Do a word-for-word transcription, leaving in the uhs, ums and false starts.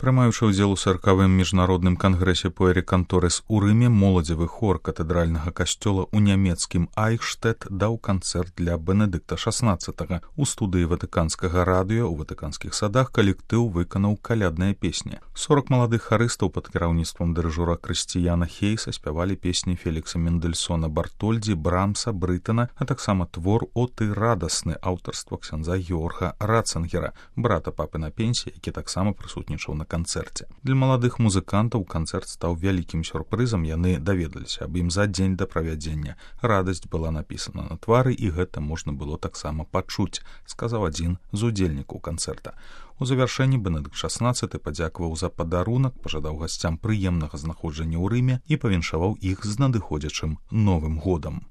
Прымаючы ўдзел у саркавым міжнародным кангрэсе Пуэріканторес у Рыме, моладзевы хор катэдральнага касцёла ў нямецкім Айхштэт даў канцэрт для Бенедыкта шаснаццатага. У студыі ватыканскага радыё ў ватыканскіх садах калектыў выканаў калядныя песні. сорак маладых харыстаў пад кіраўніцтвам дырыжора Крысціяна Хейса спявалі песні Фелікса Мендельсона Бартольдзі, Брамса, Брытана, а таксама твор «О ты радасны» аўтарства ксяндза Георга Ратценгера, брата папы на пенсіі, які таксама прысутнічаў на канцэрце. Для маладых музыкантаў канцэрт стаў вялікім сюрпрызам, яны даведаліся аб ім за дзень да правядзення. Радасць была напісана на твары, і гэта можна было таксама пачуць, сказаў адзін з удзельнікаў канцэрта. У завяршэнні Бенедыкт шаснаццаты падзякаваў за падарунак, пажадаў гасцям прыемнага знаходжання ў Рыме і павіншаваў іх з надыходзячым Новым годам.